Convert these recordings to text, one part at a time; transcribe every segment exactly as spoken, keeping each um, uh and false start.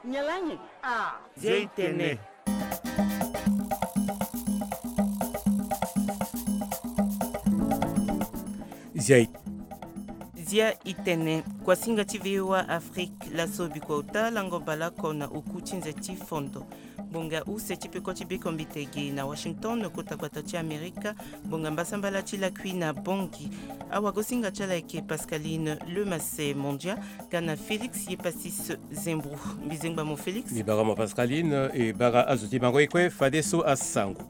Nyalangi. Ah. Zia i tene. Zia i Zia i tene. Kuasinga ti V O A Afrique, laso bikua ota lango baleoko na oku ti nze ti fondo. Ngbonga use ti peko ti bekombite ge na Washington, kota gbata ti Amerika, ngbonga mbasambala ti lakui na Bangui. Awagosinga ti ala ayeke Pascaline Lemase Mondia, ga na Félix Yepasis Zembro. Mbizengba mo Félix. Mbi bara mo Pascaline, e bara azo ti mango e kue fadeso asango.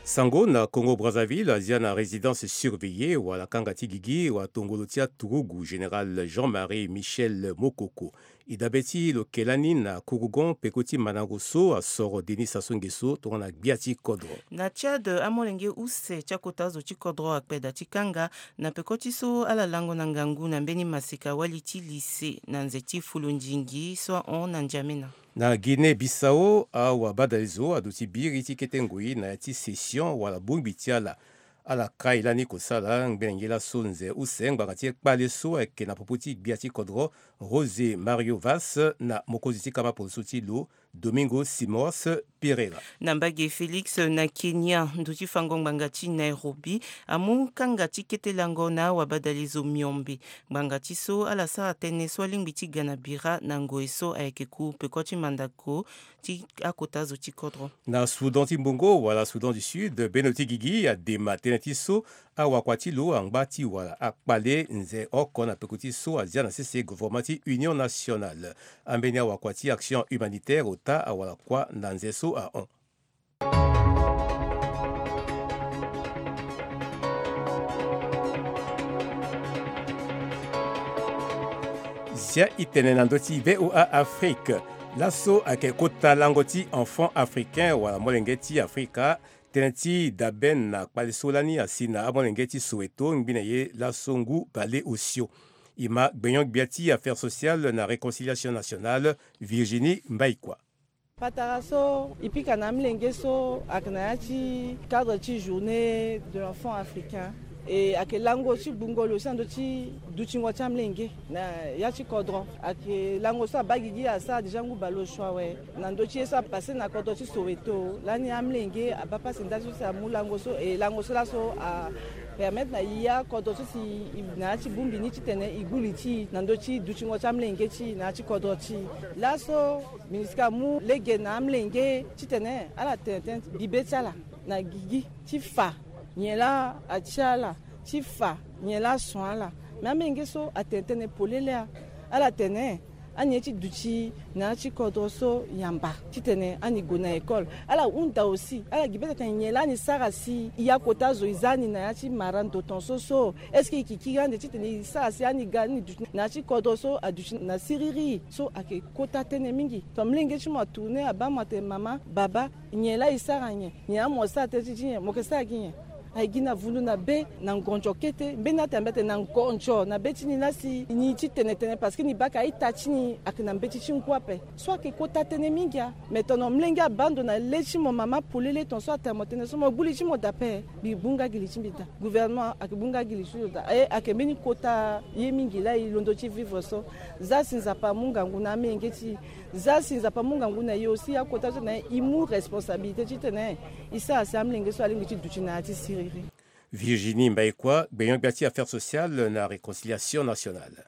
Sango na Congo Brazzaville, azia na résidence surveillée wala kanga ti gigi wala tongolo ti aturugu, général Jean-Marie Michel Mokoko. E dabe ti lo ke lani na Kourougon, peko ti mandango so asoro Denis Sassou Nguesso tongana gbia ti kodro. Na Tchad, amolenge use ti akota zo ti kodro akpe da ti kanga na peko ti so ala lango na ngangu na mbeni maseka wali ti lise na nze ti fulundingi so ahon na N'Djamena. Na Guinée Bissau, awabadalezo aduti biri ti kete ngoi na ya ti session wala bongbi ti ala. Ala kai lani kosala ngbene nge laso nze use ngbanga ti kpale so ayeke na popo ti gbia ti kodro José Mario Vaz na mokonzi ti kama poloso ti lo Domingo Simões Pereira. Na mbage Félix, na Kenya, ndo ti fango ngbanga ti Nairobi amu kanga ti kete lango na awabadalezo miombe. Ngbanga ti so ala sara tënë so alingbi ti ga na bira na ngoi so ayeke ku peko ti mandako ti akota zo ti kodro. Na Soudan ti mbongo wala Soudan du Sud, bendo ti gigi adema tënë ti so awakua ti lo angba ti wara akpale nze oko na peko ti so azia na sese gouvernement ti Union Nationale. Ambeni awakua ti Action Humanitaire ota awara kuâ na nze so ahon. Zia i tene na ndö ti V O A Afrique. Laso ayeke kota lango ti enfant africain wala molenge ti Afrika. Tënë ti dabe na kpale so lani asi na amolenge ti Soweto ngbene ye laso ngu bale osio. E ma gbenyo-gbia ti affaires sociales na réconciliation nationale, Virginie Mbaïkwa. Patara so e pika na amolenge so ayeke na ya ti cadre ti journée de l'enfant africain. E ayeke lango ti gbungo lo si na ndö ti dutingo ti amolenge na ya ti kodro. Ayeke lango so abaa gigi asara déjà ngu bale osio awe. Na ndö ti ye so apasse na kodro ti Soweto lani, amolenge abaa pasi ndali so si amu lango so, e lango so laso apermettre na ya kodro so si e na ya ti bongbi ni titene e gbu li ti e na ndö ti dutingo ti amolenge ti e na ya ti kodro ti e. Laso MINUSCA amu lege na amolenge titene ala tene tënë bibe ti ala na gigi ti fa nyen laa atia ala, ti fa nyen laa ason ala. Me amolenge so atene tënë polele. Ala tene ani ye ti duti na ya ti kodro so yamba titene ani gue na école. Ala hunda aussi, ala gi be tene nyen laa ani sara si e ya kota zo e za ni na ya ti mara ndo tongaso so. Est-ce que e yeke kiri ande titene e sara si ani ga ni duti na ya ti kodro so aduti na siriri? So ayeke kota tënë mingi. Tongana molenge ti mo atourne abaa mo atene mama, baba, nyen laa e sara nyen? Nyen laa mo sara tënë ti ti nyen? Mo yeke sara gi nyen? Aye gi na vundu na be na ngonzo kete. Mbeni atene mbi atene na ngonzo na be ti ni laa si ni ti tene tënë parce que ni baka ita ti ni ayeke na mbeti ti ngu ape. So ayeke kota tënë mingi a. Me tongana molenge abaa ndo na le ti mo mama polele, tongaso atene mo tënë so, mo gbu li ti mo daa ape. Mbi gbu nga gi li ti mbi daa. Gouvernement ayeke gbu nga gi li ti lo daa. E ayeke mbeni kota ye mingi laa e londo ti vivre so. Za si Nzapa amu ngangu na amolenge ti e. Za si Nzapa amu ngangu na e aussi, akota so na e, e mu responsabilité titene e sara si amolenge so alingbi ti duti na ya ti siriri. Virginie Mbaïkwa, gbenyo-gbia ti affaires sociales na réconciliation nationale.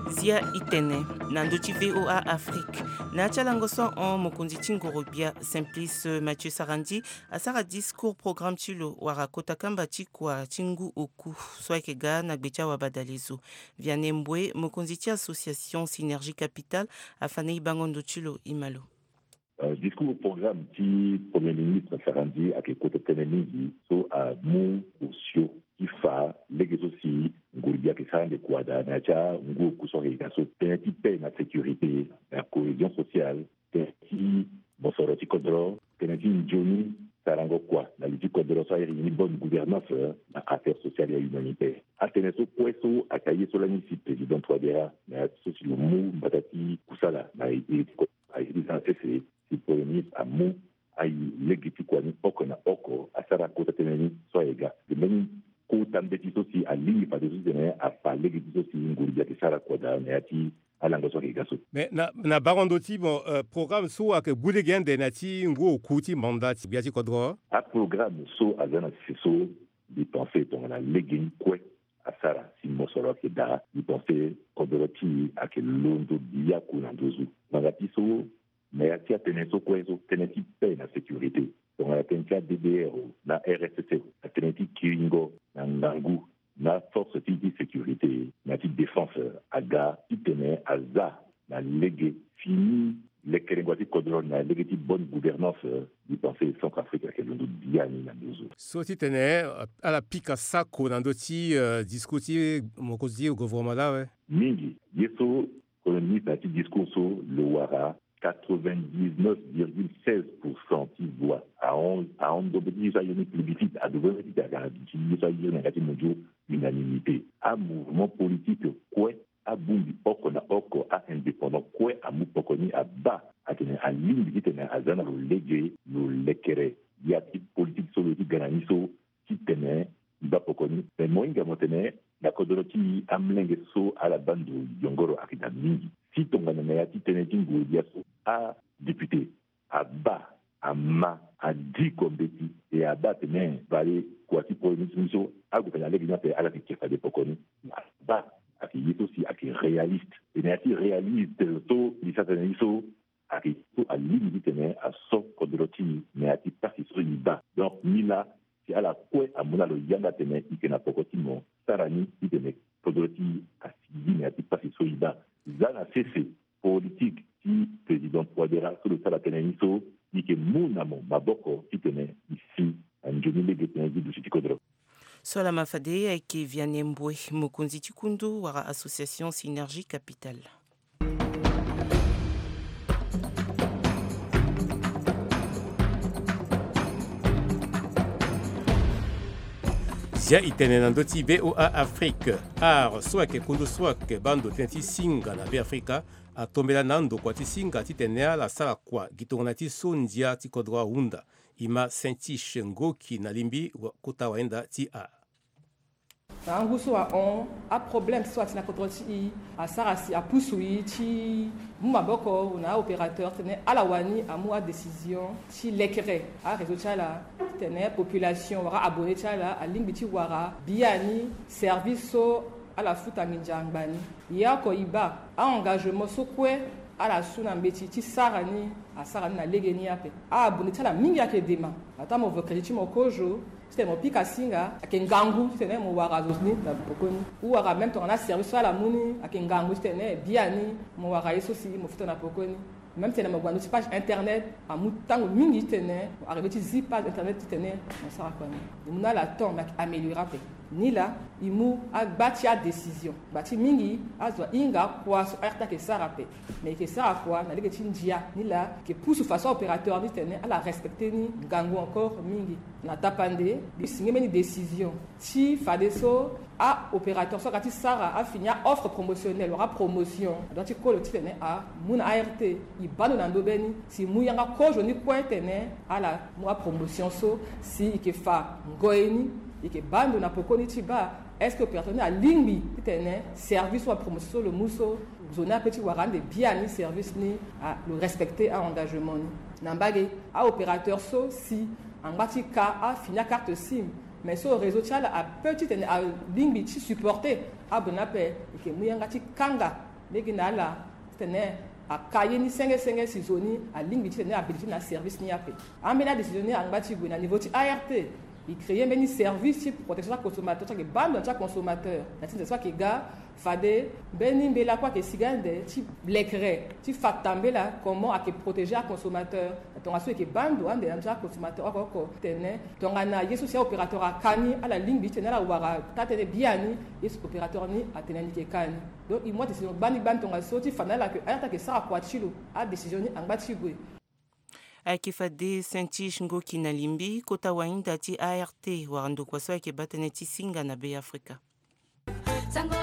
Zia i tene na ndö ti V O A Afrique. Na ya ti alango so ahon, mokonzi ti ngoro-gbia Simplice Mathieu Sarandji asara discours programme ti lo wala kota kamba ti kua ti ngu oku so ayeke ga na gbe ti awabadalezo. Vianney Mboué, mokonzi ti association Synergie Capitale, afa na e bango ndo ti lo. E ma lo. Euh, discours programme ti Premier ministre Sarandji ayeke kota tënë mingi so amu osio ti fa lege so si nguru-gbia ayeke sara ande kua daa na ya ti angu oku so ayeke ga so. Tënë ti paix na sécurité, na cohésion sociale, tënë ti mosoro ti kodro, tënë ti nzoni sarango kua na li ti kodro so ayeke ni bonne gouvernance, na affaires sociales et humanitaires. Atënë so kue so ayeke aye so lani si président Touadéra na ya ti so si lo mu mbata ti kusala na ye ti kodro, aye ti za na sese si Premier ministre amu aye lege Gi ti kua ni oko na oko asara kota tënë ni so aye ga. Ge mbeni kota mbeti so si alingbi fadeso titene afa lege ti so si nguru gi ayeke sara kua daa na ya ti alango so ayeke ga so. Mais na, na bango ndo ti bon, euh, programme so ayeke gbu lege ande na ya ti ngu oku ti manda ti gbia ti kodro. Aprogramme so aza na sese so mbi pense tongana lege ni kue asara si mosoro ayeke daa, mbi pense kodro ti e ayeke londo biaku na nduzu. Ngbanga ti so na ya ti atënë so kue so, tënë ti paix na sécurité, tongana tënë ti a D D R o na R S S o, na tënë ti kiringo na ngangu na force ti, ti sécurité na ti défense aga titene aza na lege fini lekerengo ti kodro na lege ti bonne gouvernance. Mbi pense Centrafrique ayeke londo biani na nduzu. So titene, euh, ala pika sako na ndö ti, euh, discours ti mokonzi ti gouvernement laa awe. Mingi ye so Premier ministre na ya ti discours so lo wara quatre-vingt-dix-neuf virgule seize pour cent ti voix. Ahon, ahon ndo mbeti ye so aye ni plébiscite, ado mbeti ti aga ti ye so aye ni na yanga ti mundu unanimité. Amouvement politique kue, abongbi oko na oko, a-indépendant kue amu poko ni abaa atene alingbi titene aza na lo lege lo lekere ya ti politique so lo ye ti ga na ni so titene mbi baa poko ni. Me mo hinga mo tene na kodro ti amolenge so ala baa ndo yongoro ayeke daa mingi. Si tongana na ya ti tënë ti nguru gbia so, adéputé abaa, ama, adiko mbeti, e abaa atene fade kua ti premier ministre so ague fade na lege ni ape ala yeke ke fade poko ni. Abaa ayeke ye so si ayeke réaliste. E na ya ti réaliste so mbi sara tënë ni so, ayeke so alingbi titene aso kodro ti e na ya ti pasi so e baa. Donc ni laa, si ala kue amu na lo yanga atene e yeke na poko ti mo sara ni titene kodro ti e asigi na ya ti pasi so e baa. Za na sese politique ti président Touadéra so lo sara tënë ni so, e yeke mu na mo maboko titene e si na nzoni lege tënë ti duti ti kodro. So laa ma fade ayeke Vianney Mboue, mokonzi ti kundu wala association Synergie Capital. Zia e tene na ndö ti V O A Afrique. Art so ayeke kundu so ayeke baa ndo tënë ti singa na Beafrika atombela na ndokua ti singa titene ala sara kua gi tongana ti so ndia ti kodro ahunda. E ma Saint-Tiche Ngoki na Limbi, wa-, kota wahinda ti art. Na angu so ahon, aproblème so ati na kodro ti e asara si apusu e ti mu maboko na aopérateur titene ala wani amu adécision ti lekere aréseau ti ala titene population wala abonné ti ala alingbi ti wara biani service so ala futa nginza ngbani. E oko e baa a-engagement so kue ala su na mbeti ti sara ni, asara ni na lege ni ape. A-abonné ti ala mingi ayeke dema. Ataa mo vo crédit ti mo kozo titene mo pika singa, ayeke ngangu titene mo wara zo ni na poko ni. Ou wara même tongana aservice so ala mu ni, ayeke ngangu titene biani mo wara ye so si mo futa na poko ni. Même titene mo gue na ndö ti page internet, amu tango mingi titene mo arrivé ti zi page internet titene mo sara kua ni. E mu na ala temps, mais ayeke amélioré ape. Ni laa e mu agba ti adécision. Gba ti mingi azo ahinga kua so A R T ayeke sara ape. Mais e yeke sara kua na lege ti ndia. Ni laa e yeke pusu fadeso aopérateur ni titene ala respecté ni ngangu encore mingi. Na tapande mbi singi mbeni décision ti fadeso aopérateur so aga ti sara afini a-offre promotionnelle wala promotion, adoit ti kolo titene amu na A R T. E baa ndo na ndö be ni si e mu yanga kozo ni kue titene ala mu apromotion so si e yeke fa ngoi ni, e yeke baa ndo na pokoni ti baa est-ce que opérateur ni alingbi titene service wala promotion so lo mu so, zo ni ape ti wara ande biani service ni, a, lo respecté a-engagement ni. Na mbage, aopérateur so si angba ti ka afini acarte SIM, mais so réseau ti ala ape titene alingbi ti supporté abonné ape, e yeke mu yanga ti kanga lege na ala titene aka ye ni senge senge si zo ni alingbi titene abénéficié na service ni ape. Ambeni adécision ni angba ti gue na niveau ti A R T, e créé mbeni service ti protection ti aconsommateur ti ayeke baa ndo na ti aconsommateur na ti nze so ayeke ga. Fade mbeni mbela kue ayeke sigi ande ti lekere ti fa tambela comment ayeke protéger aconsommateur. Na tongaso e yeke baa ndo ande na ndö ti aconsommateur oko oko titene tongana ye so si aopérateur aka ni ala lingbi titene ala wara taa-tënë biani, ye so opérateur ni atene ni yeke ka ni. Donc e mu adécision gbani gbani tongaso ti fa na ala ke A R T ayeke sara kua ti lo. Adécision ni angba ti gue. Ayeke fade Saint-Tiche Ngoki na Limbi, kota wahinda ti A R T wala ndokua so ayeke baa tënë ti singa na Beafrika. Sango,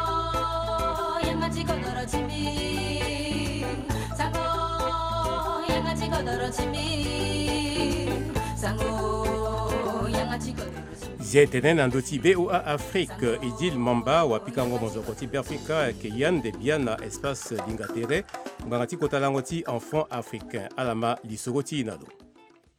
yanga ti kodoro ti mbi. Sango, yanga ti kodoro ti mbi. Zia e tene na ndö ti VOA Afrique, Idil Mamba, wapikango mozoko ti Beafrika ayeke yande biani na espace Linga Tere, ngbanga ti kota lango ti Enfant Africain. Ala ma lisoro ti e na lo.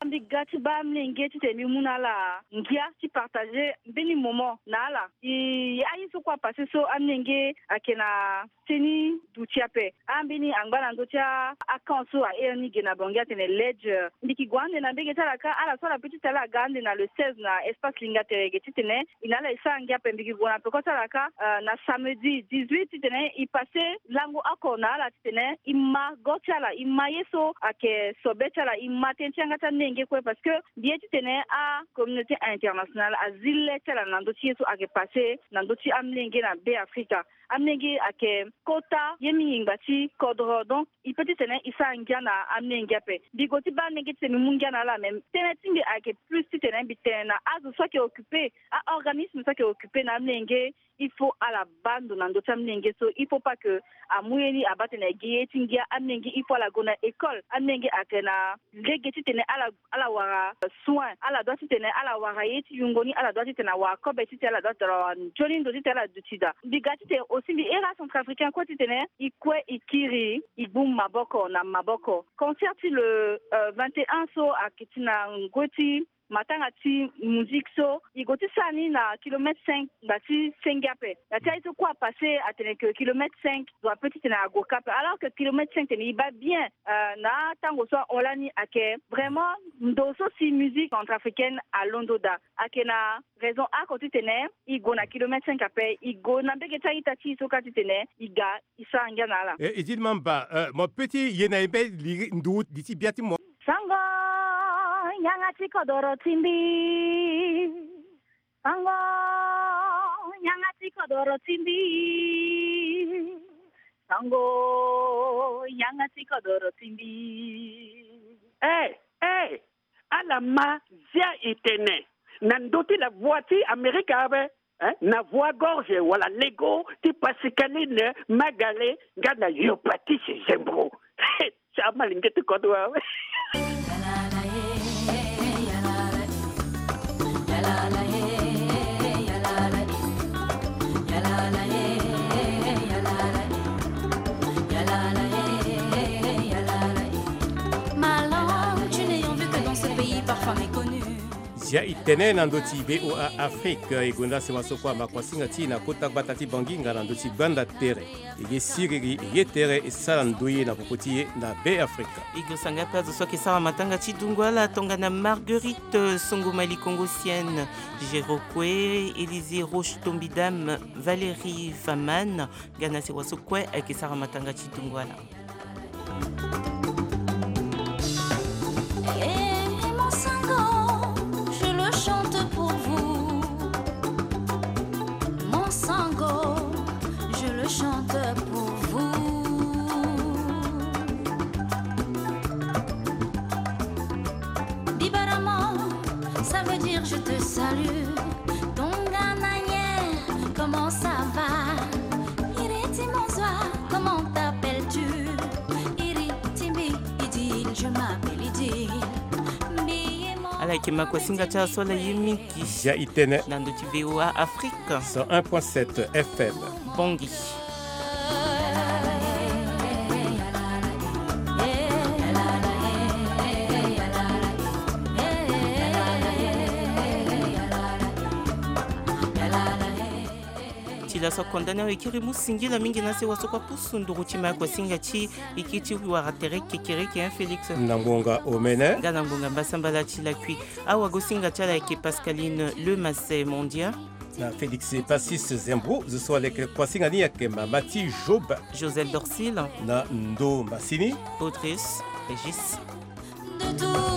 Mbi ga ti baa amolenge titene mbi mu na ala ngia ti partager mbeni moment na ala. E, aye so kue apasser so amolenge ayeke na seni duti ape. Ambeni angba na ndö ti a-, acamp so ahere ni ge na Bangui atene ledge. Mbi yeke gue ande na mbege ti ala kâ, ala so ala peut ti tene ala ga ande na le seize na espace Linga Tere ge titene e na ala e sara ngia ape. Mbi yeke gue na peko ti ala kâ, euh, na samedi dix-huit titene e passer lango oko na ala titene e ma go ti ala, e ma ye so ayeke sobe ti ala, e ma tënë ti yanga ti amolenge kue, parce que mbi ye titene acommunauté internationale azi le ti ala na ndö ti ye so ayeke passer na ndö ti amolenge na Beafrika. Amolenge ayeke kota ye mingi ngba ti kodro, donc e peut titene e sara ngia na amolenge ape. Mbi gue ti baa amolenge titene mbi mu ngia na ala, me tënë ti mbi ayeke plus titene mbi tene na azo so ayeke occupé, a-organisme so ayeke occupé na amolenge, il faut ala baa ndo na ndö ti amolenge so, il faut pas que amu ye ni abaa tene agi ye ti ngia. Amolenge il faut ala gue na école. Amolenge ayeke na lege titene ala, ala wara soin, ala doit titene ala wara ye ti yungo ni, ala doit titene awara kobe titene ala doit titene awara nzoni ndo titene ala duti daa. Mbi ga titene aussi mbi here acentrafricain kue titene e kue e kiri, e gbu maboko na maboko. Concert ti le, euh, vingt et un so ayeke ti na ngoi ti matanga ti musique so, e gue ti sara ni na kilomètre cinq ngba ti senge ape. Na ti aye so kue apasser atene ke kilomètre cinq doit peut titene ague kâ ape, alors que kilomètre cinq tene e baa bien, euh, na atango so ahon lani ayeke vraiment ndo so si musique centrafricaine alondo daa. Ayeke na raison oko titene e gue na kilomètre cinq ape, e gue na mbege ti a-ita ti e so kâ titene e ga e sara ngia na ala. Eh, Idil Mamba, euh, mo peut ti ye na e mbeni liri nduru li ti bia ti mo? Sango, yanga ti kodoro ti mbi. Sango, yanga ti kodoro ti mbi. Sango, yanga ti kodoro ti mbi. Eh, eh, ala ma zia e tene na ndö ti la voix ti Amerika ape. Hein? Na voix gorge wala lego ti Pascaline Magale nga na Yo Patrice Zembro. Sa malenge ti kodro awe. Ma langue, tu n'ayant vu que dans ce pays parfois méconnu. Zia e tene na ndö ti VOA Afrique, e gonda sewa so kue ama kuasinga ti e na kota gbata ti Bangui nga na ndö ti gbanda tere. E ye siriri, e ye tere, e sara ndoye na popo ti e na Beafrika. E gue sanga ape azo so ayeke sara matanga ti dungo ala tongana Marguerite Songo Mali Kongo Sienne, Géro Kue, Élisée Roche Tombidam, Valérie Faman, nga na sewa so kue ayeke sara matanga ti dungo ala. Eh, mon sango, je le chante pour vous. Mon sango, je le chante pour vous. Dibarama, ça veut dire je te salue. Tongana nyen, comment ça va? Iri ti mo zo a, comment t'appelles-tu? Iri ti mbi Idil, je m'appelle Idil. Mbi ye mo. Ala yeke ma kuasinga ti ala so ala ye mingi. Zia e tene na ndö ti VOA Afrique. Cent un point sept F M. Bangui. Ti laso konda ni awe kiri mu singila mingi na sewa so kua pusu nduru ti ma kuasinga ti e kiri ti wara tere kekereke, hein, Félix? Na ngonga omene. Nga na ngonga mbasambala ti lakui. Awagosinga ti ala ayeke Pascaline Lemasset Mondia. Na Félix Passis Zembro, zo so aleke kuasinga ni ayeke mama ti Job. Joseph Dorsil. Na ndo masini. Audrius Régis. De tout